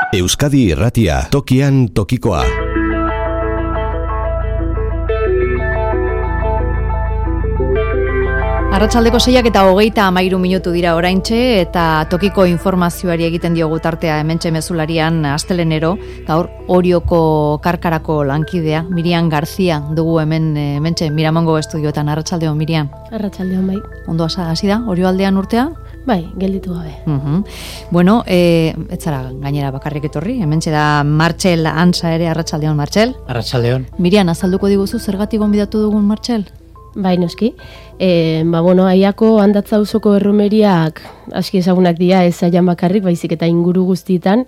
Euskadi Irratia, tokian tokikoa. Arratsaldeko 6:23 dira oraintxe eta tokiko informazioari egiten diogu tartea hementxe mezularian astelenero, gaur Orioko Karkarako lankidea Miriam Garzia dugu hementxe Miramongo estudioetan. Arratsaldeon Miriam. Arratsaldeon bai. Ondo hasi da Orioaldean urtea? Bai, gelditu gabe. Bueno, ez zara gainera bakarrik etorri, hementxe da Martxel Antza ere. Arratsaldeon Martxel. Arratsaldeon. Miriam, azalduko diguzu zergatik gonbidatu dugun Martxel? Bai, noski. Aiako Handatza auzoko erromeriak aski ezagunak dira, ez aian bakarrik, baizik eta inguru guztietan,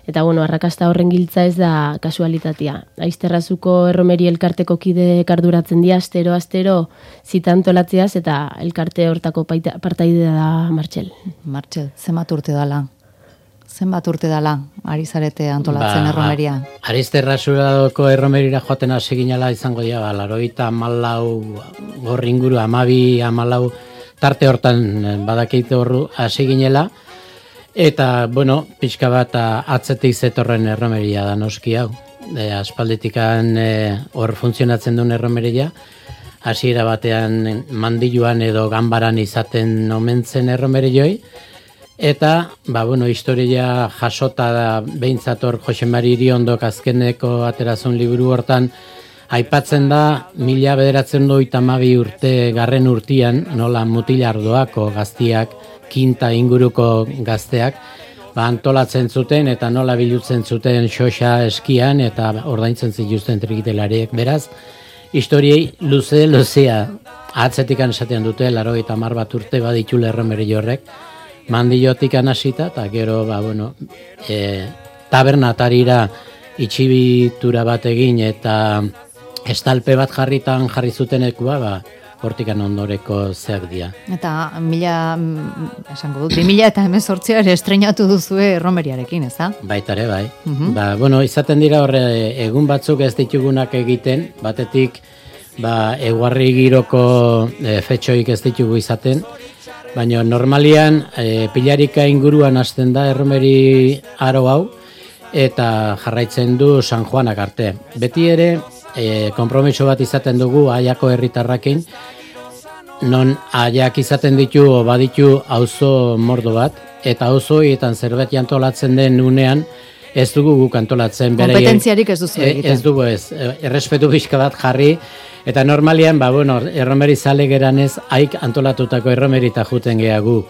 eta arrakasta horren giltza ez da kasualitatea. Aizterrazuko erromeri elkarteko kide arduratzen dira, astero zitantolatzeaz, eta elkarte hortako partaidea da Martxel. Martxel, zenbat urte dala ari zarete antolatzen erromeria? Arizterrazurako erromerira joaten hasi ginela izango dira, 94 gorri inguru, 12-14 tarte hortan badakite horru hasi ginela, eta, pixka bat atzetik zetorren erromeria da noski hau. Aspalditikan hor funtzionatzen duen erromeria, hasiera batean mandiluan edo ganbaran izaten omentzen erromerioi, eta, historia jasota da behintzat Jose Mari Iriondok azkeneko aterazun liburu hortan, aipatzen da 1992 urte garren urtian, nola Mutilardoako gaztiak, Kinta inguruko gazteak, antolatzen zuten eta nola bilutzen zuten xoxa eskian eta ordaintzen zituzten trikitelariek. Beraz, historiei luzea atzetikan esaten dute, 90 bat urte baditule erromeri horrek, mandiotik anasita, eta gero, tabernatarira itxibitura bat egin eta estalpe bat jarri zutenekua, hortikan ondoreko zeak dira. Eta 2018 ere estreinatu duzue erromeriarekin, ez da? Baitare, bai. Izaten dira horre egun batzuk ez ditugunak egiten, batetik eguarri giroko fetxoik ez ditugu izaten, baina normalian pilarika inguruan hasten da erromeri aro hau eta jarraitzen du San Juanak arte. Beti ere konpromiso bat izaten dugu Aiako herritarrakin, non Aiak izaten baditu auzo mordo bat, eta auzoetan zerbait antolatzen den unean ez dugu guk antolatzen. Kompetentziarik ez duzu egiten. Ez dugu errespetu pixka bat jarri, eta normalian, erromeri zale geranez, haik antolatutako erromerita juten geha gu.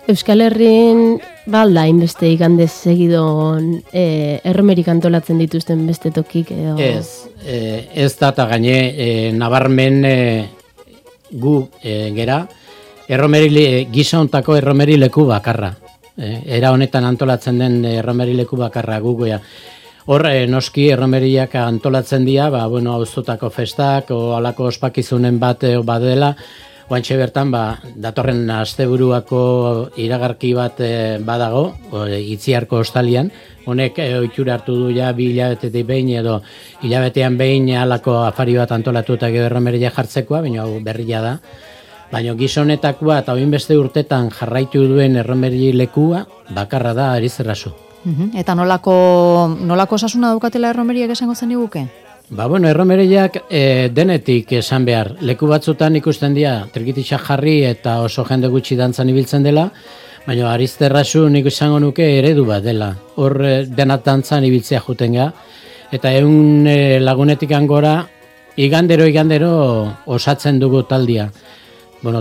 Euskal Herrin balda inbeste igandez segidon erromerik antolatzen dituzten beste tokik? Ez da, eta gaine nabarmen gu gera, gizontako erromeri leku bakarra. Era honetan antolatzen den erromeri leku bakarra gu goia. Hor, noski erromeriak antolatzen dira, auzotako festak, alako ospakizunen bat badela, oantxe bertan, datorren asteburuako iragarki bat badago, Itziarko ostalian, honek ohitura hartu du ja 2 hilabetetik behin edo hilabetean behin alako afari bat antolatuta gero erromeria jartzekoa, baina hau berria da. Baina gizonetakoa eta oinbeste urtetan jarraitu duen erromeri lekua bakarra da Arizterrazu. Eta nolako osasuna daukatela erromeriak esango zen iguke? Erromeriak denetik esan behar. Leku batzutan ikusten dira trikititxak jarri eta oso jende gutxi dantzan ibiltzen dela, baina Arizterrazu nik izango nuke eredu bat dela. Hor denat dantzan ibiltzea juten ga, eta egun lagunetik angora igandero osatzen dugu taldia.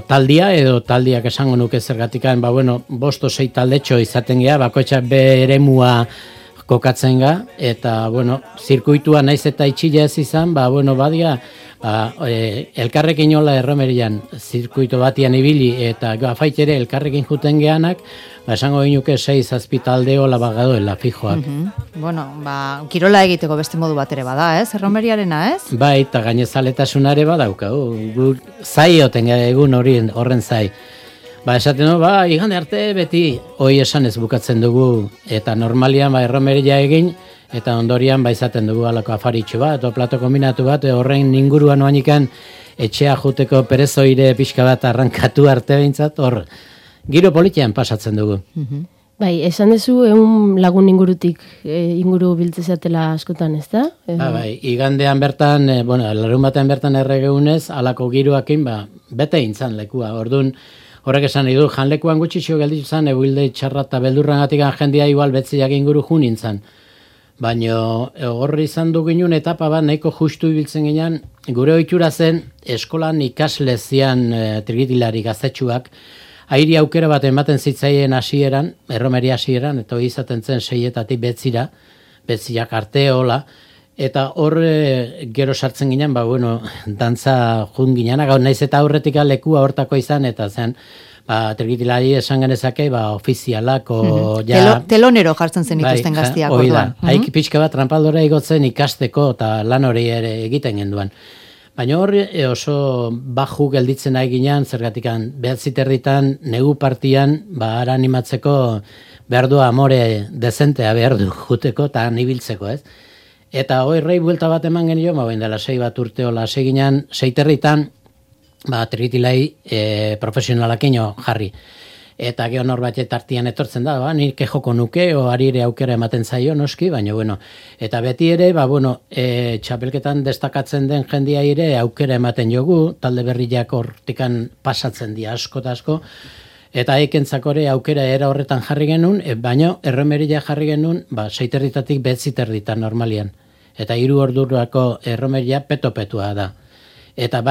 Taldia edo taldiak esango nuke zergatikan, 5-6 taldetxo izaten gea, bakoitzak beremua kokatzen ga, eta, zirkuitua naiz eta itxila ez izan, badia, elkarrekin hola erromerian zirkuito batian ibili, eta afait ere elkarrekin juten geanak, esango ginuke 6-7 talde hola bagadoela fijoak. Kirola egiteko beste modu bat ere bada, ez? Erromeriarena, ez? Bai, eta gainezaletasunare badauka, zai oten egun horren zai. Esaten igande arte beti hoi esan ez bukatzen dugu, eta normalian erromeria egin, eta ondorian izaten dugu alako afaritxo bat, o plato kombinatu bat, horren inguruan oanikan etxea juteko perezoire pixka bat arrankatu arte behintzat, hor, giro politian pasatzen dugu. Bai, esan dezu 100 lagun ingurutik inguru biltzezatela askotan, ez da? Bai, igandean bertan, larun batean bertan erregeunez, alako giroakin, bete intzan lekua. Orduan, horrek esan nahi du, janlekuan gutxixo gelditu zan, eguilde txarra eta beldurrangatik jendia igual betziak inguru jun intzan. Baina horri izan du ginen etapa bat nahiko justu ibiltzen ginen, gure ohitura zen eskolan ikasle zian trigitilari gaztetxuak, airi aukera bat ematen zitzaien hasieran, erromeria hasieran, eta hori izaten zen 6-etatik betziak arte hola, eta hor gero sartzen ginen, dantza jun ginen, naiz eta aurretik lekua hortako izan, eta zen, trigitilari esan genezake, ofizialako, telonero jartzen zen ikusten gaztiak orduan. Haik pixka bat trampaldora igotzen ikasteko, eta lan hori ere egiten genduan. Baina hor oso baju gelditzen nahi ginean, zergatikan 9:30 negu partian, ara animatzeko behar du amore dezentea behar du juteko eta nibiltzeko, ez? Eta horrei buelta bat eman genio, dela 6 bat urte hola seginean, 6:30 trigitilai profesionalakino jarri. Eta gero norbait tartian etortzen da, nik joko nuke, arire aukera ematen zaio, noski, baina, eta beti ere, txapelketan destakatzen den jendia ere aukera ematen jogu, talde berriak hortikan pasatzen dira asko eta asko, eta eikentzakore aukera era horretan jarri genuen, baina erromeria jarri genuen, 6:30-tik 9:30 normalian. Eta 3 ordurako erromeria peto-petua da. Eta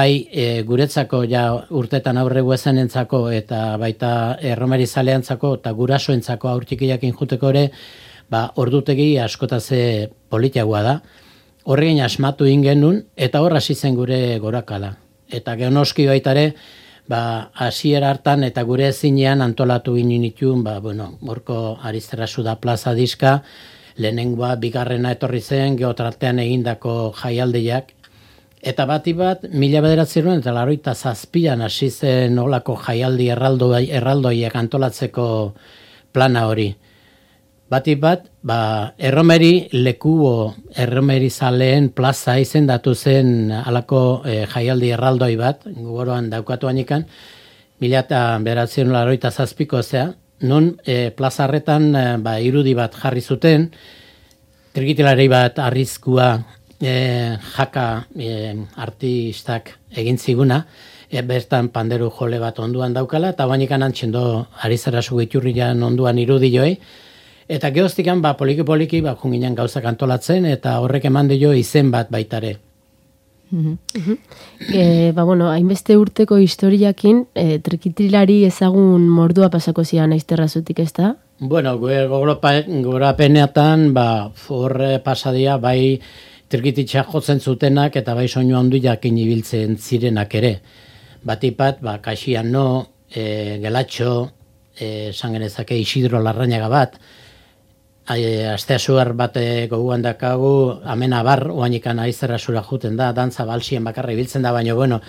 guretzako urtetan aurregu ezenentzako eta baita erromeri zaleantzako eta gurasoentzako aurtikiakin juteko ere, ordutegi askotaze politiagoa da. Horregin asmatu ingenun eta hor hasi zen gure gorakala. Eta geonoski baitare, hasiera hartan eta gure ezinean antolatu ginen itun, horko Ariztarazu da plaza diska, lehenengoa bigarrena etorri zen, geotartean egindako jaialdiak, eta bati bat, 1987an hasi zen olako jaialdi erraldoiak antolatzeko plana hori. Bati bat, erromeri lekuo, erromeri zaleen plaza izendatu zen alako jaialdi erraldoi bat, goroan daukatu anikan, 1987ko zea, nun plaza harretan irudi bat jarri zuten, trigitilari bat arrizkua, jaka artistak egin ziguna, bertan panderu jole bat onduan daukala, eta bainikan antxendo Ariztarazu iturrian onduan irudi joei, eta gehoztikan poliki-poliki junginen gauzak antolatzen, eta horrek eman dio izen bat baitare. Hainbeste urteko historiakin, trikitilari ezagun mordua pasako zian Aizterrazutik, ez da? Gorapeneatan, horre pasadia, trikititxa jotzen zutenak eta soinu handu jakin ibiltzen zirenak ere. Batipat, Kaxian no, Gelatxo, sangenezake Isidro Larrañaga bat, Asteasuar bat goguan dakagu, Amena Bar, oanikan Aizterrazura juten da, dantza balsien bakarra ibiltzen da, baina,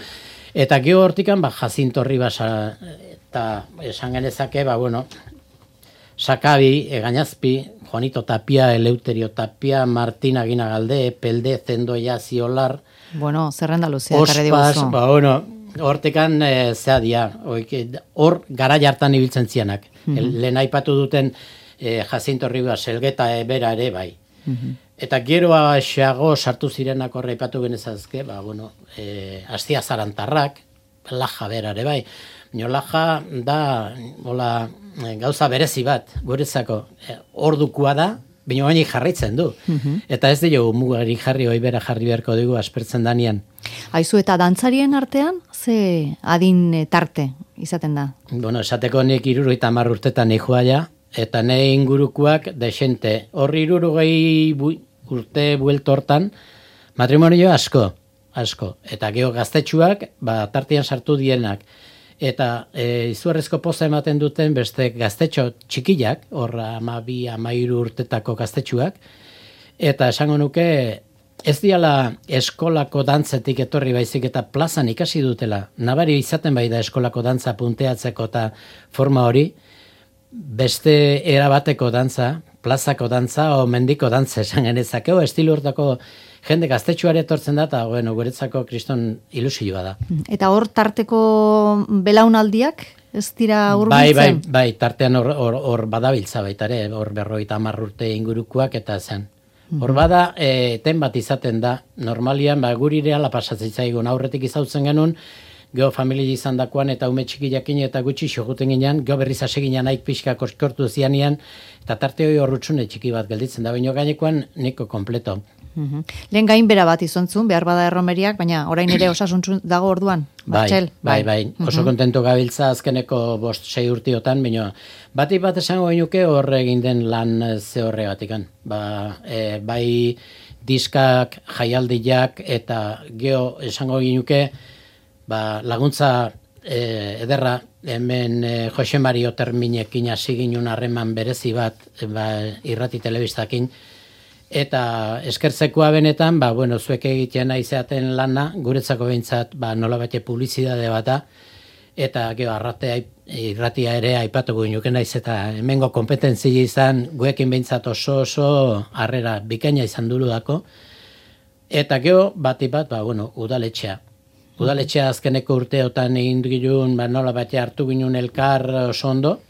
eta geho hortikan, Jacinto Ribas, eta sangenezake, Sakabi, Gainazpi, Juanito Tapia, Eleuterio Tapia, Martina Ginagalde, Pelde, Zendoia, Ziolar. Zerrenda luzea, karre diguzu. Hortekan zea dia, hor gara jartan ibiltzen zianak. Lehen aipatu duten Jacinto Ribas, Elgeta bera ere bai. Eta geroa xeago sartu zirenak horre aipatu genezazke, Astia Zarantarrak, Laja bera ere bai. Laja da, gauza berezi bat, guretzako, ordukua da, baina baina jarraitzen du. Eta ez dugu mugari jarri, hoi bera jarri beharko dugu aspertzen danian. Aizu eta dantzarien artean, ze adin tarte izaten da? Esateko nik 70 urtetan nihua ja, eta nahi ingurukoak desente. Horri 60 urte buelto hortan, matrimonio asko. Eta geho gaztetxuak, tartean sartu dienak. Eta izugarrizko poza ematen duten beste gaztetxo txikiak, horra 12-13 urtetako gaztetxuak, eta esango nuke ez diala eskolako dantzetik etorri baizik eta plazan ikasi dutela. Nabari izaten bai da eskolako dantza punteatzeko eta forma hori, beste erabateko dantza, plazako dantza o mendiko dantza esan genezakeo, estilu hortako jende gaztetxuare etortzen da, eta guretzako kriston ilusioa da. Eta hor tarteko belaunaldiak, ez dira hurbiltzen? Bai, tartean hor badabiltza baita ere, hor 50 urte ingurukoak eta zen. Hor bada, eten bat izaten da, normalian, guri reala pasatzen zaigun, aurretik izautzen genuen, geho familia izan dakoan eta ume txiki jakin eta gutxi xoguten ginean, geho berriz hasi ginean aik pixka kortu zianian, eta tarte hori horrutxune txiki bat gelditzen da, baina gainekoan niko kompleto. Lehen gainbera bat izontzun, behar bada erromeriak, baina orain ere osasuntzu dago orduan, Martxel? Bai. Oso kontento gabiltza azkeneko 5-6 urtiotan, baina batik bat esango genuke horre egin den lan ze horregatikan. Bai diskak, jaialdiak eta geho esango genuke laguntza ederra hemen Jose Mario Terminekin hasi ginen harreman berezi bat irrati telebistakin. Eta eskertzekoa benetan, zuek egiten aizeaten lana, guretzako behintzat, nola bate publizidade bata, eta geho irratia ere aipatuko ginuken naiz, eta hemengo kompetentzia izan, guekin behintzat oso harrera bikaina izan dako, eta geho bat, udaletxea. Udaletxea azkeneko urteotan egin gilun, nola bate hartu ginen elkar oso ondo,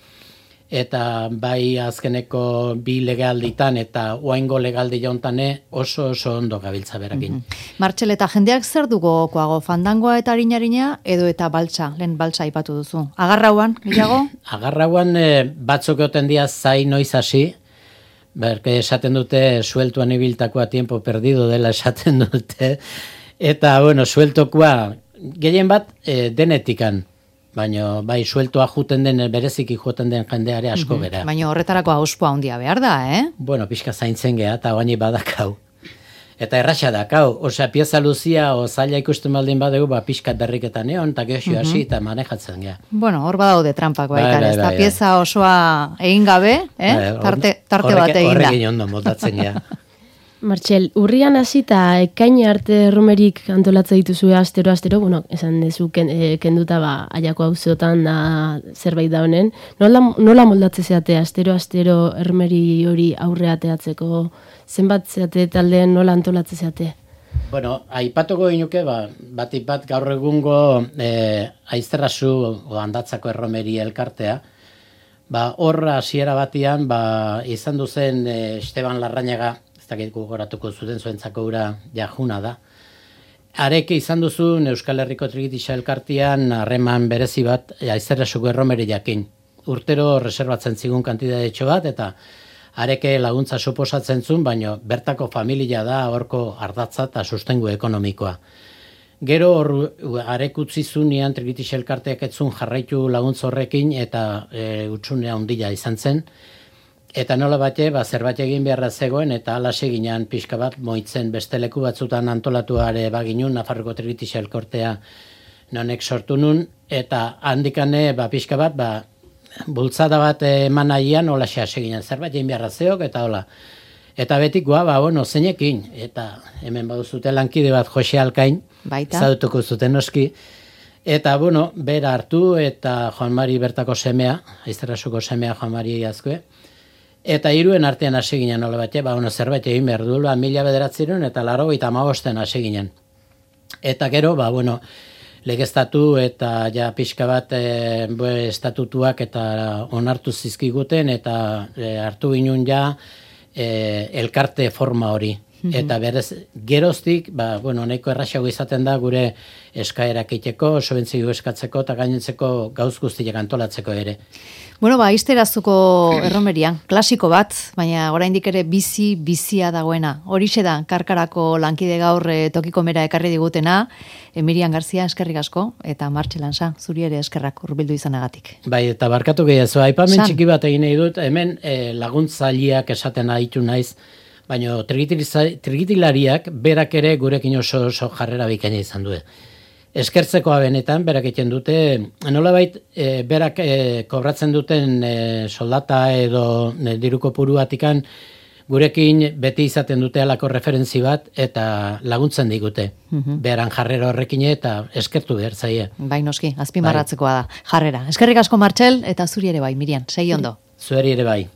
eta bai azkeneko 2 legalditan eta oaingo legaldi jauntane oso ondo gabiltza berakin. Martxel, eta jendeak zer dugu koago, fandangoa eta harina edo eta baltsa, lehen baltsa aipatu duzu. Agarrauan, gehiago? Agarrauan batzuk egoten dia zai noiz hasi, berke esaten dute sueltuan ibiltakoa tiempo perdido dela esaten dute, eta sueltokoa gehien bat denetikan, baina bai sueltoa juten den, bereziki juten den jendeare asko bera. Baina horretarako auspoa handia behar da, Pixka zaintzen geha, eta baini badakau. Eta erraxa dakau, osea, pieza luzia, zaila ikusten baldin badegu, pixka berriketan egon, eta geosio hasi, eta manejatzen geha. Hor badaude trampak baita, ez da pieza osoa egin gabe, tarte bat egin da. Horrekin ondo moldatzen geha. Martxel, urrian hasi eta ekain arte erromerik antolatzen dituzue astero, esan dezu kenduta aiako auzotan zerbait da honen. Nola moldatzen zeate astero erromeri hori aurre ateatzeko, zenbat zeate taldeen nola antolatzen zeate? Aipatuko ginuke, bat gaur egungo aizterrazu handatzako erromeri elkartea, hor hasiera batian izan duzen Esteban Larrañaga, ez dakit gogoratuko zuten zuentzako ura jajuna da. Areke izan duzun Euskal Herriko Trikitixa elkartean harreman berezi bat aizterrasuko erromeri jakin. Urtero reserbatzen zigun kantidadetxo bat, eta areke laguntza suposatzen zuen, baina bertako familia da horko ardatza eta sustengu ekonomikoa. Gero arek utzi zunean Trikitixa elkarteak etzun jarraitu laguntza horrekin, eta utsunea ondila izan zen. Eta nola bate, zerbait egin beharra zegoen, eta alase ginean pixka bat moitzen beste leku batzutan antolatuare baginun, Nafarroko Trikitixa elkortea nonek sortu nun, eta handikane pixka bat, bultzada bat eman nahian, hola hasi ginen, zerbait egin beharra zeok, eta hola. Eta betikoa, zeinekin, eta hemen baduzute lankide bat Jose Alkain, zautuko zuten oski, eta bera hartu, eta Juan Mari bertako semea, aizterrasuko semea Juan Mari azkue, eta 3 artean hasi ginen nola bat, zerbait egin behar du, 1900 eta 85 hasi ginen. Eta gero, legeztatu eta ja pixka bat estatutuak eta onartu zizkiguten, eta hartu ginen ja elkarte forma hori. Eta berez, geroztik, nahiko erraxago izaten da gure eskaerak iteko, sobentzio eskatzeko eta gainentzeko gauz guztiak antolatzeko ere. Aizterazuko erromerian, klasiko bat, baina oraindik ere bizia dagoena. Horixe da, Karkarako lankide gaur tokiko mera ekarri digutena, Mirian Garzia eskerrik asko, eta Martxel Ansa, zuri ere eskerrak hurbildu izanagatik. Bai, eta barkatu gehiago, aipamen txiki bat egin nahi dut, hemen laguntzaileak esaten aditu naiz, baina trikitilariak berak ere gurekin oso jarrera bikaina izan du. Eskertzekoa benetan, berak egiten dute, nolabait berak kobratzen duten soldata edo diruko puruatikan gurekin beti izaten dute alako referentzi bat eta laguntzen digute. Beran jarrera horrekin eta eskertu behar zaie. Bai noski, azpimarratzekoa da jarrera. Eskerrik asko Martxel eta zuri ere bai, Mirian, segi ondo. Zueri ere bai.